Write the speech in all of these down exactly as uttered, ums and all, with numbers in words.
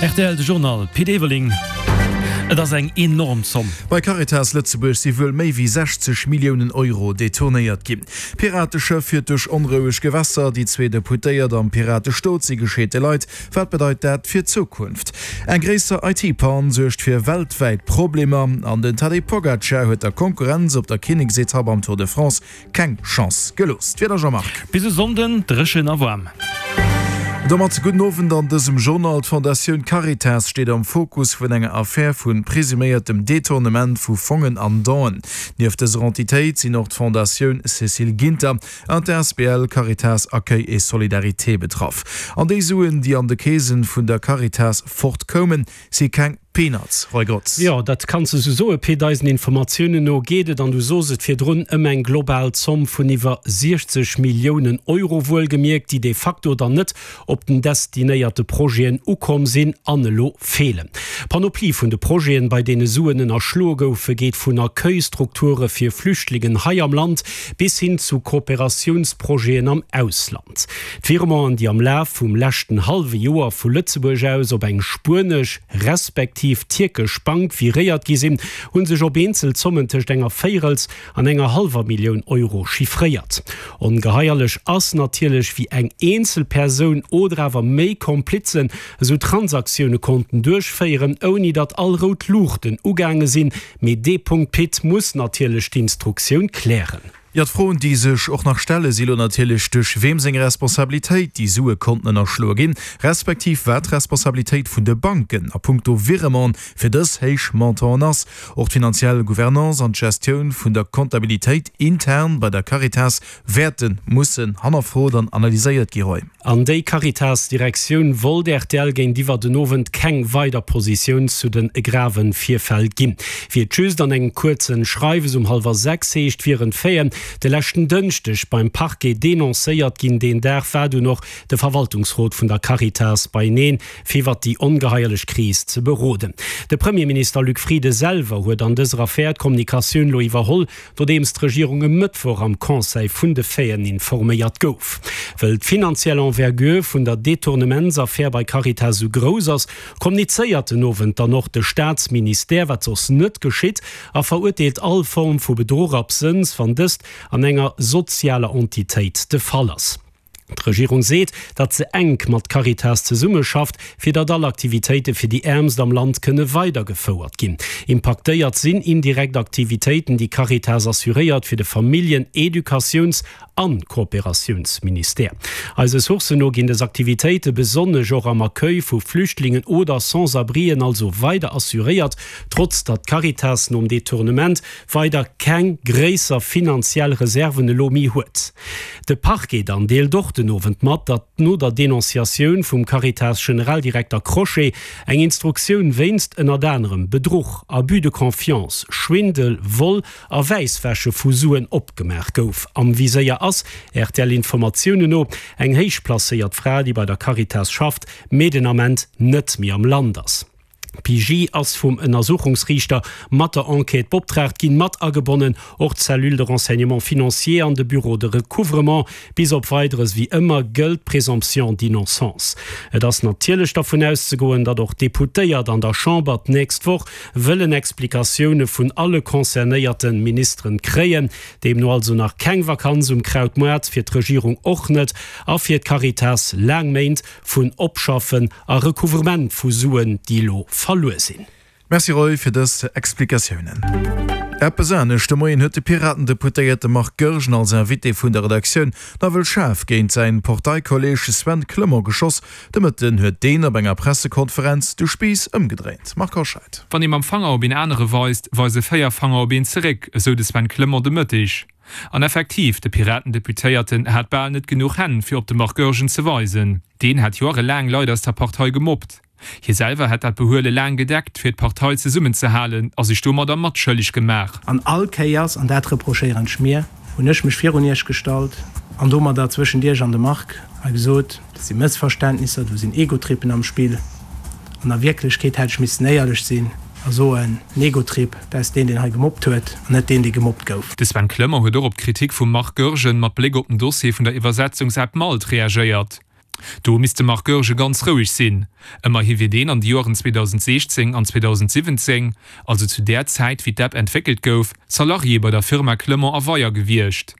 Rtl de Journal, Pit Everling. Et ass eng enorm Zomm. Bei Caritas Lëtzebuerg si wuel méi wéi sechzeg Milliounen Euro detournéiert ginn. Pirateschëff fiert duerch onroueg Gewässer, déi zwee Deputéiert am Piratestot si gescheete Leit. Wat bedeit dat fir d'Zukunft? Eng gréisser I T-Pann suergt fir weltwäit Problemer an den Tadej Pogacar huet der Konkurrenz op der Kinneksetapp am Tour de France keng Chance gelooss. D'Wieder, Jean-Marc. Bis e Sonnden dréchen a waarm. Domat gudden Owend an dësem Journal. D'Fondatioun Caritas steet am Fokus vun enger Affär vu presuméiertem Detournement vu Fongen an Donen. Nieft dëser Entitéit sinn och d'Fondatioun Cécile Ginter an d'A S B L Caritas Accueil et Solidarité betraff. An déi Suen, déi an de Keesen vun der Caritas fortkoumen, si keng Peanuts, Roy Grotz. Jo, dat kanns de sou soen, Pit. Eisen Informatiounen no geet et, an du sos et virdrun, ëm eng global Zomm vun iwwer siechzeg Milliounen Euro, wuelgemierkt, déi de facto dann net op den destinéierte Projeten ukomm sinn an elo feelen. D'Panoplie vun de Projeten, bei deene Suen ënnerschloe goufe, geet vun Accueilstrukture fir Flüchtlingen hei am Land bis hin zu Kooperatiounsprojeten am Ausland. D'Virementen, déi am Laf vum leschten hallwe Joer vu Lëtzebuerg aus op eng spuenesch respektiv tierkesch Bank viréiert gi sinn, hu sech op eenzel Zommen tëscht enger Véirels an enger hallwer Millioun Euro chiffréiert. Ongeheierlech ass natierlech, wéi eng eenzel Persoun oder awer méi Komplizen esou Transaktioune konnten duerchféieren, ouni datt all rout Luuchten ugaange sinn. Mee dee Punkt, Pit, muss natierlech d'Instruktioun klären. Jo, d'Froen, déi sech och nach stelle si lo natierlech, duerch weem seng Responsabilitéit déi Sue konnten ënnerschloe ginn, respektiv wat d'Responsabilitéit vun de Banken a punkto Virement fir dës héich Montanten ass. Och d'finanziell Gouvernance an d'Gestioun vun der Comptabilitéit intern bei der Caritas wäerte mussen hannerfrot an analyséiert gi, Roy. An déi Caritas-Direktioun wollt R T L géintiwwer den Owend keng weider Positioun zu de grave Virfäll ginn. Wéi et just an engem kuerze Schreiwes um hallwer sechs heescht, wieren d'Faiten de leschten Dënschdeg beim Parquet denoncéiert ginn. Deen Dag war dunn och de Verwaltungsrot vun der Caritas beieneen, fir iwwert déi ongeheierlech Kris ze beroden. De Premierminister Luc Frieden selwer huet an dëser Affär d'Kommunikatioun lo iwwerholl, nodeems d'Regierung e Mëttwoch am Conseil vun de Faiten informéiert gouf. Well d'finanziell Envergure vun der Detournementsaffär bei Caritas sou grouss ass, kommunizéiert den Owend dann och de Staatsministère, wat soss net geschitt, a verurteelt all Form vu Bedruch absënns, wann dëst an enger sozialer Entitéit de Fall ass. D'Regierung seet, datt se enk mat Caritas zesummeschafft, fir datt all Aktivitéite fir déi Äermst am Land kënne weidergefouert ginn. Impaktéiert sinn indirekt Aktivitéiten, déi Caritas assuréiert fir de Familljen-, Educatiouns an Kooperatiounsministère. Eise Sourcen no ginn dës Aktivitéite besonnesch och am Accueil vu Flüchtlingen oder Sans-abrien also weider assuréiert, trotz datt Caritas nom Detournement weider keng gréisser finanziell Reserven elo méi huet. De Parquet dann deelt och den Owend mat, datt no der Denonciatioun vum Caritas-Generaldirekter Crochet eng Instruktioun wéinst ënnert anerem Bedruch, Abus de confiance, Schwindel, Vol a Wäisswäsche vu Suen opgemaach gouf. Am Viséier ass, R T L-Informatiounen no, eng héich placéiert Fra, déi bei der Caritas schafft, mee den Ament net méi am Land ass. D'P I J ass vum Ënnersuchungsriichter mat der Enquête beoptraagt ginn, mat agebonnen och d'Cellule de renseignement financier an de Bureau de recouvrement. Bis op Weideres, wéi ëmmer, gëllt d'Présomption d'innocence. Et ass natierlech dervun auszegoen, datt och d'Deputéiert an der Chamber d'nächst Woch wëllen Explikatioune vun alle concernéierte Ministeren kréien. Deemno also nach keng Vakanz um Krautmoart, fir d'Regierung och net a fir d'Caritas laang Méint vun Opschaffen a Recouvrement vu Suen, déi elo verluer sinn. Merci Roy fir dës Explikatiounen. Eppes anescht de Moien huet de Piratendeputéierte Marc Goergen als Invité vun der Redaktioun nawell schaarf géint säin Parteikolleeg Sven Clement geschoss. De Mëtten huet deen op enger Pressekonferenz de Spiiss ëmgedréint. Marc Hoscheid. Wann ee mam Fanger op een anere weist, weise véier Fanger op een zeréck, esou de Sven Clement de Mëtteg. An effektiv, de Piratendeputéierten hat bal net genuch Hänn fir op de Marc Goergen ze weisen. Deen hat jorelaang Leit aus der Partei gemobbt. Hie selwer hätt dat Behuele laang gedeckt, fir d'Partei zesummenzehalen a sech domadder matschëlleg gemaach. An all Kéiers, an dat reprochéieren ech mir, hunn ech mech virun Iech gestallt an domadder zwëschent Iech an de Marc a gesot, dat si Mëssverständnisser, do sinn Egotrippen am Spill. An a Wierklechkeet hätt ech missen éierlech sinn a soen, den Egotrip, dat ass deen, deen hei gemobbt huet, an net deen, dee gemobbt gouf. De Sven Clement huet och op d'Kritik vum Marc Goergen mat Bléck op den Dossier vun der Iwwersetzungsapp Malt reagéiert. Do misst de Marc Goergen ganz roueg sinn. Ëmmerhi wier deen an de Joren zweedausendsechzéng an zweedausensiwwenzéng, also zu där Zäit wéi d'App entwéckelt gouf, Salarié bei der Firma Clement a Weyer gewiescht.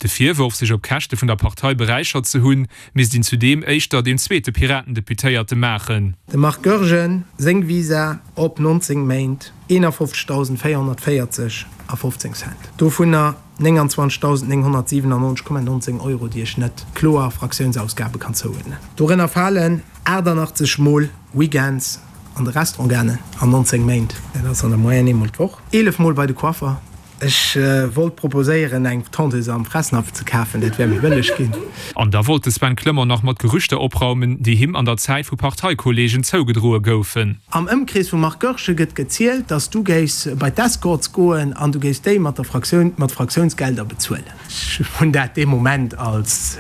De Virworf, sech op Käschte vun der Partei beräichert ze hunn, misst een zudeem éischter dem zweete Piraten-Deputéierte maachen. Dem Marc Goergen seng Visa op nonzéng Méint, eenafofzegdausendvéierhonnertvéierzeg a fofzéng Cent, dovunner nénganzwanzegdausendnénghonnertsiwenannonzeg Komma nonzéng Euro, déi ech net kloer Fraktiounsausgabe kann zouuerdnen. Dorënner falen achtannachtzeg Mol Weekends an de Restaurant gaangen an nonzéng Méint, dat ass an der Moyenne eemol d'Woch, eelef Mol bei de Coiffer. Ech wollt proposéieren eng Tondeuse am Fressnapf ze kafen, dat wär méi bëlleg ginn. An da wollt de Sven Clement nach mat Gerüchter opraumen, déi him an der Zäit vu Parteikollegen zougedroe goufen. Am Ëmkrees vum Marc Goergen gëtt gezielt, dass du géifs bei d'Escorts goen an du géifs déi mat der Fraktioun, mat Fraktiounsgelder bezuelen. Ech hunn dat dee Moment als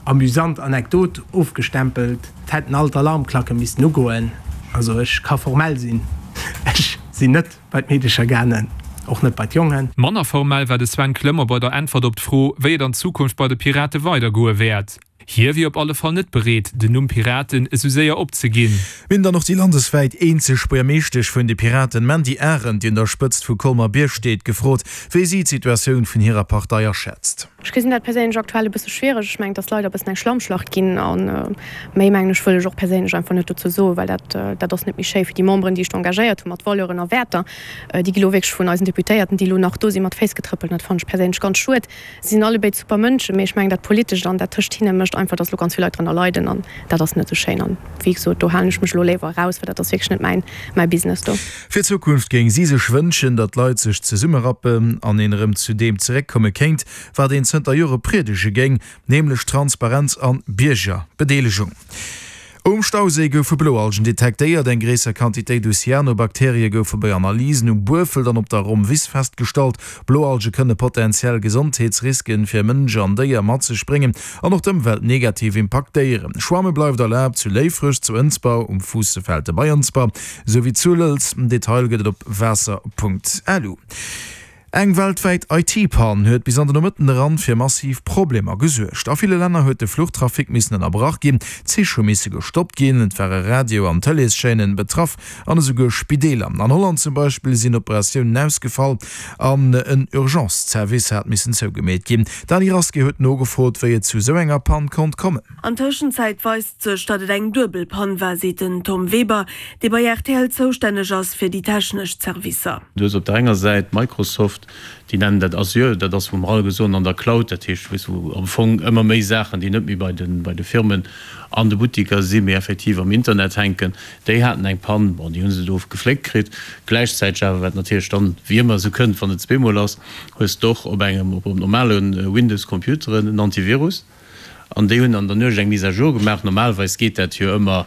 amüsant Anekdot ofgestempelt. Et hätten all d'Alarmklacke missten ugoen. Also ech ka formell sinn, ech sinn net bei d'Meedecher gaangen, och net bei d'Jongen. Manner formell war de Sven Clement bei der Äntwert op d'Fro, wéi et an Zukunft bei de Pirate weidergoe wäert. Hie wier op alle Fall net bereet, den Numm Piraten esou séier opzeginn. Mir hunn dann och déi landeswäit eenzeg Buergermeeschtesch vun de Piraten, Mandy Arendt, déi un der Spëtzt vu Colmer-Bierg steet, gefrot, wéi si d'Situatioun vun hirer Partei aschätzt. Ech gesinn dat perséinlech aktuell e bësse schwiereg. Ech mengen, et ass leider e bëssen eng Schlammschlacht ginn. A méi, mengen ech, wëll ech och perséinlech einfach net dozou soen, well dat, dat ass net méi schéi fir déi Memberen, déi sech do engagéiert hu mat Valeuren a Wäerter. Déi gi lo wierklech vun eisen Deputéierten, déi elo nach do sinn, mat Féiss getrëppelt. An dat fannen ech perséinlech ganz schued. Si sinn allebéid super Mënschen, mee ech mengen, dat Politescht an dat tëscht hinne mécht einfach, dass elo ganz vill Leit drënner leiden. An dat ass net esou schéin. An wéi gesot, do halen ech mech elo léiwer eraus, well dat ass wierklech net mäin, mäi Business do. Fir d'Zukunft géing si sech wënschen, datt d'Leit sech zesummerappen an een erëm zu deem zeréckkomme kéint, wat een zënter Jore priedege géing, nämlech Transparenz an Biergerbedeelegung. Um Stauséi goufe Bloalgen detektéiert. Eng gréisser Quantitéit u Cyanobakterie goufe bei Analysen um Buerfelt an op der Rommwiss festgestallt. Bloalge kënne potenziell Gesondheetsriske fir Mënsch an Déier mat sech bréngen an och d'Ëmwelt negativ impaktéieren. Schwamme bleift erlaabt zu Léifreg, zu Ënsber, um Fuussefelte bei Ënsber, esou wéi zu Lëlz. Detail gëtt et op waasser.lu. Eng weltwäit I T-Pann huet bis an de Nomëtten eran fir massiv Problemer gesuergt. A ville Länner huet de Fluchtrafic missen ënnerbrach ginn, Zich hu misse gestoppt ginn, et ware Radio an Tëleeschaînen betraff an esouguer Spideeler. An Holland zum Beispill sinn Operatiounen ausgefall an en Urgence-Service hat missen zougemeet ginn. D'Dany Rasqué huet nogefrot, wéi et zu esou enger Pann konnt kommen. An Tëschenzäit weist sech, datt et eng duebel Pann war, seet den Tom Weber, dee bei R T L zoustänneg ass fir déi technesch Servicer. Du hues op der enger Säit Microsoft, déi nennen dat Azure, dat ass wou mer alleguer soen an der Cloud, dat heescht weess wou am Fong ëmmer méi Saachen, déi net méi bei de bei de Firmen an de Buttiker sinn, mee effektiv am Internet hänken. Déi haten eng Pann, bon déi hu se do gefléckt kritt. Gläichzäiteg awer, wat natierlech dann wéi ëmmer esou kënnt, wann et zweemol ass, hues de och op engem op normale Windows-Computeren en Antivirus. An déi hunn an der Nuecht eng Mise à jour gemaach. Normalerweis geet dat jo ëmmer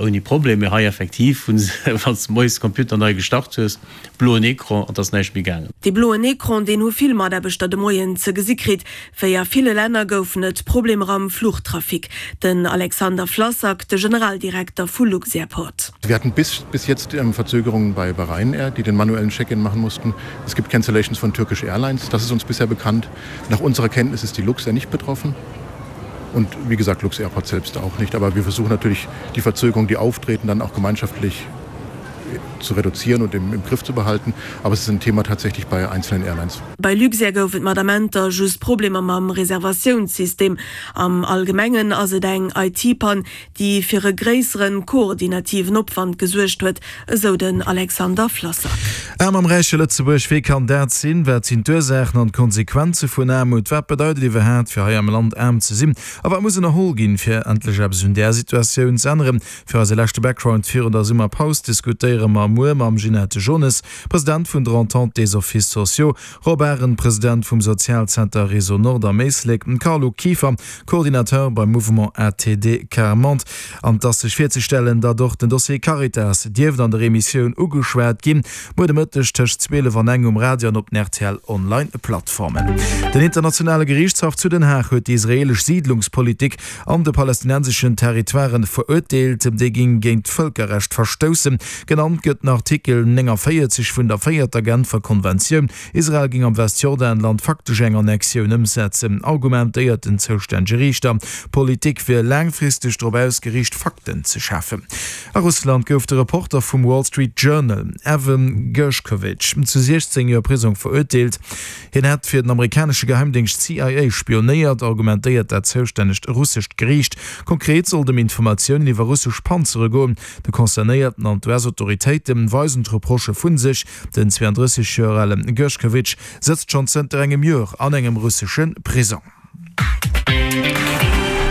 ouni Problem, mee hei effektiv hu se, wann s de moies de Computer nei gestart hues, bloen Ecran an et ass näischt méi gaangen. Dee bloen Ecran, deen hu vill Mataarbechter de Moien ze gesi kritt. Wéi a ville Länner goufen et Problemer am Fluchtrafic. Den Alexander Flassak, de Generaldirekter vu Luxairport. Wir hatten bis, bis jetzt Verzögerungen bei bei Ryanair, die den manuellen Check-in machen mussten. Es gibt Cancellations von Turkish Airlines, das ist uns bisher bekannt. Nach unserer Kenntnis ist die Luxair nicht betroffen. Und wie gesagt, Lux-Airport selbst auch nicht. Aber wir versuchen natürlich, die Verzögerungen, die auftreten, dann auch gemeinschaftlich zu reduzieren und im, im Griff zu behalten. Aber es ist ein Thema tatsächlich bei einzelnen Airlines. Bei Luxair gouf et mat Amenter just Problemer mam Reservatiounssystem. Am Allgemengen ass et eng I T-Pann, déi fir e gréissere koordinativen Opwand gesuergt huet, esou den Alexander Flassak. Aarm am räiche Lëtzebuerg, wéi kann dat sinn? Wat sinn d'Ursaachen an d'Konsequenze vun Aarmut? Wat bedeit et iwwerhaapt, fir hei am Land aarm ze sinn? A wat muss ënnerholl ginn, fir endlech eppes un där Situatioun ze änneren? Fir eise leschte Background virun der Summerpaus diskutéiere mer muer mam Ginette Jones, President vun der Entente des Offices sociaux, Rob Arendt, President vum Sozialzenter Réseau Nord am Éislek, Carlo Kieffer, Coordinateur beim Mouvement A T D Quart-Monde. An et ass sech virzestellen, datt och den Dossier Caritas dierft an der Emissioun ugeschwat ginn. Muer de Mëtteg tëscht zwielef an eng um Radio an op den R T L Online Plattformen. Den internationale Geriichtshaff zu Den Haag huet déi israeelesch Siidlungspolitik an de palästinenseschen Territoiren verurteelt. Déi géing géint d'Vëlkerrecht verstoussen. Genannt gëtt gëtt den Artikel nénganvéierzeg vun der véierter Genfer Konventioun. Israel géing am Westjordanland faktesch eng Annexioun ëmsetzen, argumentéiert den zoustännege Riichter. D'Politik wier laangfristeg drop ausgeriicht, Fakten ze schafen. A Russland gouf de Reporter vum Wall Street Journal, Evan Gershkovich, zu siechzéng Joer Prisong verurteelt. Hien hätt fir den amerikanesche Geheimdéngscht C I A spionéiert, argumentéiert dat zoustännegt russescht Geriicht. Konkret soll et ëm Informatiounen iwwer russesch Panzere goen. De Concernéierten an d'U S-Autoritéite weisen d'Reprochë vu sech. Den zweeandrësseg Joer ale Gershkovich sëtzt schonn zënter engem Joer an engem russesche Prisong.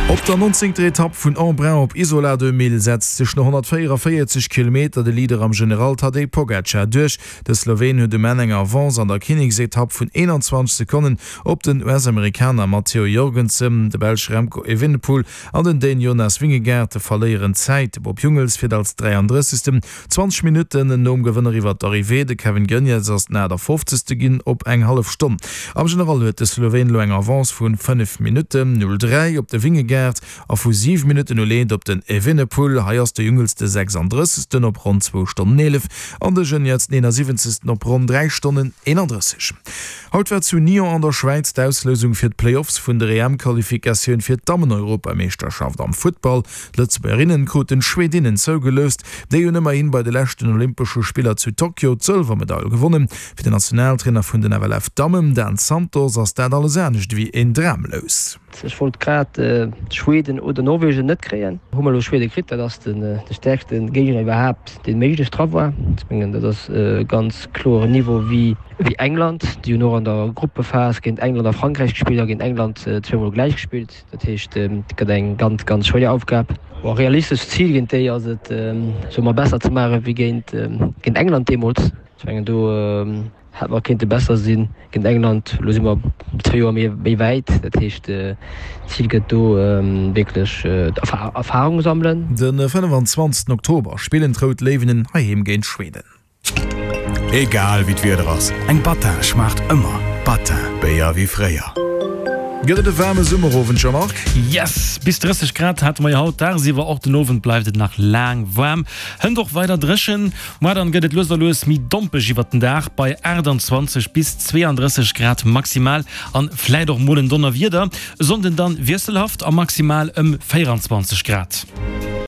Op der nonzéngter Etapp vun Embrun op Isola deux mille setzt sech no honnertvéieranvéierzeg Kilometer de Leader am General Tadej Pogacar duerch. De Sloween huet um Enn eng Avance an der Kinneksetapp vun eenanzwanzeg Sekonnen op den U S-Amerikaner Matteo Jorgensen. De Belsch Remco Evenepoel an den Dän Jonas Vingegaard verléieren Zäit. De Bob Jungels fiert als dräiandrëssegsten zwanzeg Minutten nom Gewënner iwwer d'Arrivée. De Kevin Geniets ass den aachtafofzegste ginn op eng hallef Stonn. Am General huet de Sloween elo eng Avance vu fënnef Minutten null dräi op de Vingegaard a vu siwe Minutten null eent op den Evenepoel. Hei ass de Jungels de sechsandrëssegsten op ronn zwou Stonnen eelef an de Geniets den eenasiwwenzegsten op ronn dräi Stonnen eenandrësseg. Haut war zu Nyon an der Schwäiz d'Auslousung fir d'Playoffs vun der E M-Qualifikatioun fir d'Dammen-Europameeschterschaft am Futtball. D'Lëtzebuergerinnen kruten d'Schwedinnen zougeloust. Déi hunn ëmmerhi bei de leschten Olympesche Spiller zu Tokio d'Sëlwermedail gewonnen. Fir den Nationaltrainer vun den F L F-Dammen, Dan Santos, ass dat alles anescht ewéi een Dramlous. Ech wollt grad Schweden oder Norwegen net kréien. Hu mer elo Schwede kritt, dat ass de stäerkste Géigner iwwerhaapt, dee méiglech dra war. Ech mengen, dat ass e ganz kloren Niveau wéi England. Déi hunn och an der Gruppephas géint England a Frankräich gespillt a géint England zweemol gläich gespillt. Dat heescht, et gëtt eng ganz, ganz schwéier Aufgab. Bon, realistescht Zil géint déi ass et, soe mer, besser ze maache wéi géint England deemools. Ech mengen, do hätt mer kéinte besser sinn géint England. Elo si mer zwee Joer méi méi wäit. Dat heescht, d'Zil gëtt do wierklech Erfarung sammelen. De fënnefanzwanzegsten Oktober spillen d'Rout Léiwen heiheem géint Schweden. Egal wéi d'Wieder ass, eng Battin schmaacht ëmmer. Battin, Béier wéi fréier. Gëtt et e waarme Summerowend, Jean-Marc? Yes! Bis drësseg Grad hate mer jo haut dagsiwwer, och den Owend bleift et nach laang waarm. Hënt och weider dréchen, muer dann gëtt et lues a lues méi dompeg iwwert den Dag bei aachtanzwanzeg bis zweeandrësseg Grad maximal an vläit och mol en Donnerwieder. E Sonnden dann wiesselhaft a maximal ëm véieranzwanzeg Grad.